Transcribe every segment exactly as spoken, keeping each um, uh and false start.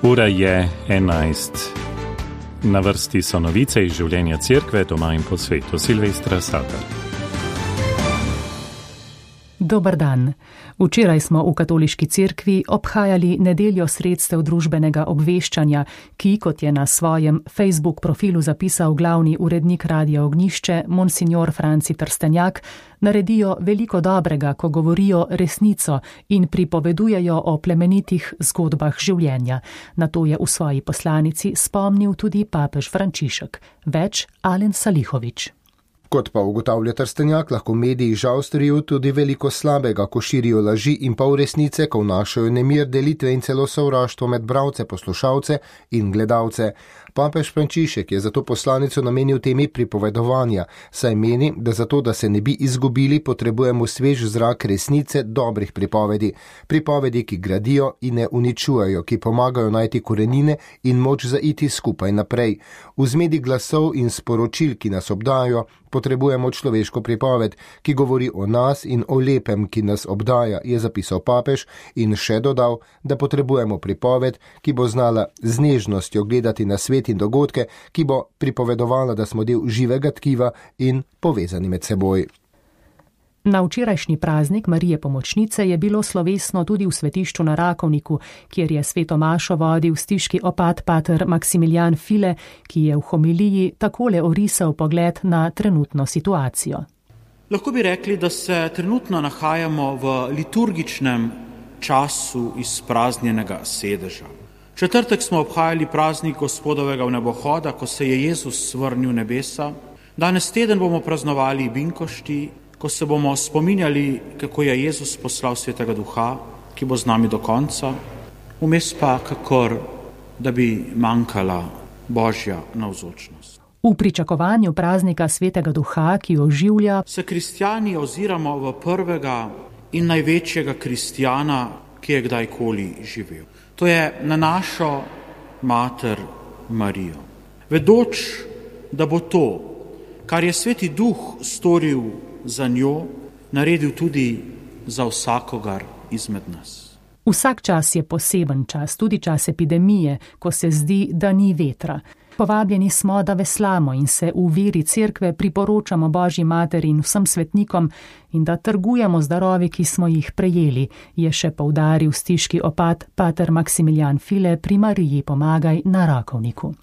Ura je enajst. Na vrsti so novice iz življenja cerkve doma in po svetu. Silvestra Sater. Dobar dan. Včeraj smo v katoliški cerkvi obhajali nedeljo sredstev družbenega obveščanja, ki, kot je na svojem Facebook profilu zapisal glavni urednik Radia Ognjišče, monsignor Franci Trstenjak, naredijo veliko dobrega, ko govorijo resnico in pripovedujejo o plemenitih zgodbah življenja. Na to je v svoji poslanici spomnil tudi papež Frančišek. Več Alen Salihovič. Kot pa ugotavlja Trstenjak, lahko mediji žal storijo tudi veliko slabega, ko širijo laži in pol resnice, ko vnašajo nemir, delitve in celo sovraštvo med bralce, poslušalce in gledalce. Papež Frančišek je zato poslanico namenil temi pripovedovanja, saj meni, da zato, da se ne bi izgubili, potrebujemo svež zrak resnice, dobrih pripovedi. Pripovedi, ki gradijo in ne uničujejo, ki pomagajo najti korenine in moč zaiti skupaj naprej. V zmedi glasov in sporočil, ki nas obdajajo, potrebujemo človeško pripoved, ki govori o nas in o lepem, ki nas obdaja, je zapisal papež in še dodal, da potrebujemo pripoved, ki bo znala z nežnostjo gledati na svet in dogodke, ki bo pripovedovala, da smo del živega tkiva in povezani med seboj. Na včerajšnji praznik Marije Pomočnice je bilo slovesno tudi v svetišču na Rakovniku, kjer je sveto mašo vodil stiški opat pater Maksimilijan File, ki je v homiliji takole orisal pogled na trenutno situacijo. Lahko bi rekli, da se trenutno nahajamo v liturgičnem času izpraznjenega sedeža. Četrtek smo obhajali praznik Gospodovega vnebohoda, ko se je Jezus vrnil v nebesa. Danes teden bomo praznovali binkošti, ko se bomo spominjali, kako je Jezus poslal Svetega Duha, ki bo z nami do konca, vmes pa kakor, da bi manjkala Božja navzočnost. V pričakovanju praznika Svetega Duha, ki oživlja, se kristjani oziramo v prvega in največjega kristjana, ki je kdajkoli živel. To je na našo mater Marijo. Vedoč, da bo to, kar je Sveti Duh storil za njo, naredil tudi za vsakogar izmed nas. Vsak čas je poseben čas, tudi čas epidemije, ko se zdi, da ni vetra. Povabljeni smo, da veslamo in se v veri cerkve priporočamo Božji materi in vsem svetnikom in da trgujemo z darovi, ki smo jih prejeli, je še poudaril stiški opat pater Maksimilijan File pri Mariji Pomagaj na Rakovniku.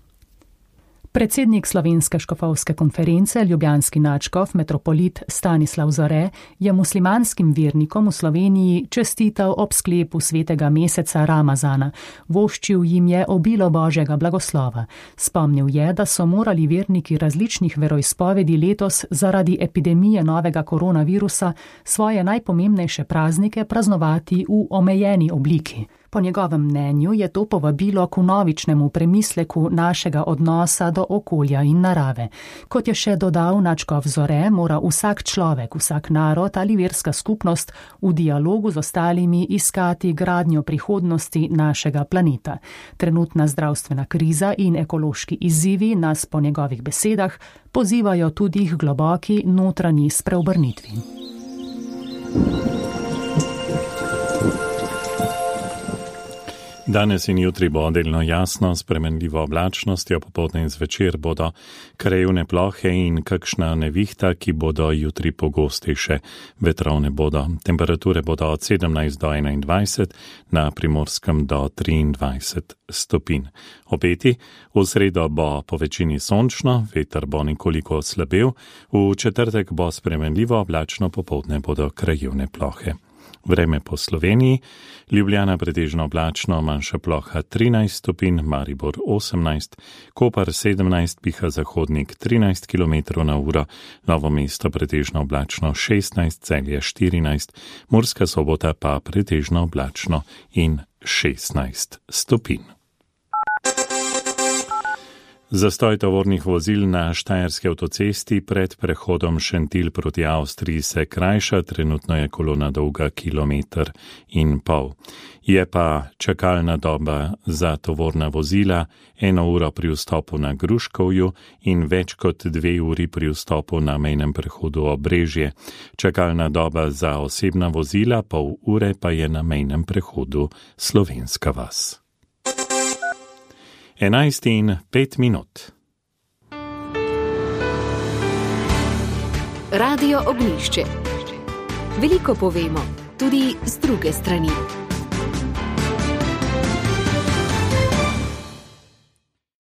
Predsednik Slovenske škofovske konference, ljubljanski nadškof metropolit Stanislav Zore, je muslimanskim vernikom v Sloveniji čestital ob sklepu svetega meseca Ramazana. Voščil jim je obilo Božjega blagoslova. Spomnil je, da so morali verniki različnih veroizpovedi letos zaradi epidemije novega koronavirusa svoje najpomembnejše praznike praznovati v omejeni obliki. Po njegovem mnenju je to povabilo k vnovičnemu premisleku našega odnosa do okolja in narave. Kot je še dodal nadškof Zore, mora vsak človek, vsak narod ali verska skupnost v dialogu z ostalimi iskati gradnjo prihodnosti našega planeta. Trenutna zdravstvena kriza in ekološki izzivi nas po njegovih besedah pozivajo tudi k globoki notranji spreobrnitvi. Danes in jutri bo delno jasno, s spremenljivo oblačnostjo, popoldne in zvečer bodo krajevne plohe in kakšna nevihta, ki bodo jutri pogostejše. Vetrovne bodo. Temperature bodo od sedemnajst do enaindvajset, na Primorskem do triindvajset stopinj. Obeti, v sredo bo po večini sončno, veter bo nekoliko oslabel, v četrtek bo spremenljivo oblačno, popoldne bodo krajevne plohe. Vreme po Sloveniji, Ljubljana pretežno oblačno, manjša ploha trinajst stopinj, Maribor osemnajst, Kopar sedemnajst, piha zahodnik trinajst kilometrov na uro, Novo mesto pretežno oblačno šestnajst, Celje štirinajst, Murska Sobota pa pretežno oblačno in šestnajst stopinj. Zastoj tovornih vozil na štajerski avtocesti pred prehodom Šentilj proti Avstriji se krajša, trenutno je kolona dolga kilometer in pol. Je pa čakalna doba za tovorna vozila eno uro pri vstopu na Gruškovju in več kot dve uri pri vstopu na mejnem prehodu Obrežje. Čakalna doba za osebna vozila pol ure pa je na mejnem prehodu Slovenska vas. enajst in pet minut. Radio Ognjišče. Veliko povemo, tudi z druge strani.